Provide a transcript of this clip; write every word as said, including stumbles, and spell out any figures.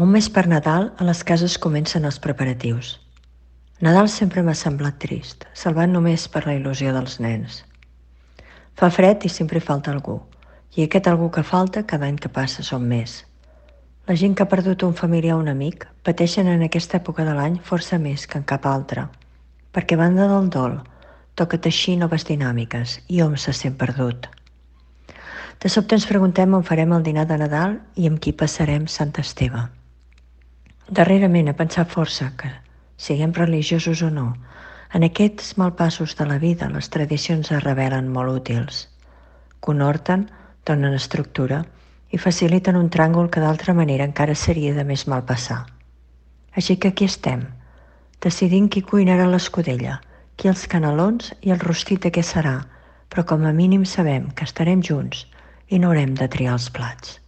Un mes per Nadal, a les cases comencen els preparatius. Nadal sempre m'ha semblat trist, salvat només per la il·lusió dels nens. Fa fred i sempre falta algú, i aquest algú que falta cada any que passa són més. La gent que ha perdut un familiar o un amic pateixen en aquesta època de l'any força més que en cap altra, perquè a banda del dol, toca teixir noves dinàmiques i hom se sent perdut. De sobte ens preguntem on farem el dinar de Nadal i amb qui passarem Sant Esteve. Darrerament he pensat força que, siguem religiosos o no, en aquests malpassos de la vida les tradicions es revelen molt útils. Conhorten, donen estructura i faciliten un tràngol que d'altra manera encara seria de més mal passar. Així que aquí estem, decidint qui cuinarà l'escudella, qui els canelons i el rostit de què serà, però com a mínim sabem que estarem junts i no haurem de triar els plats.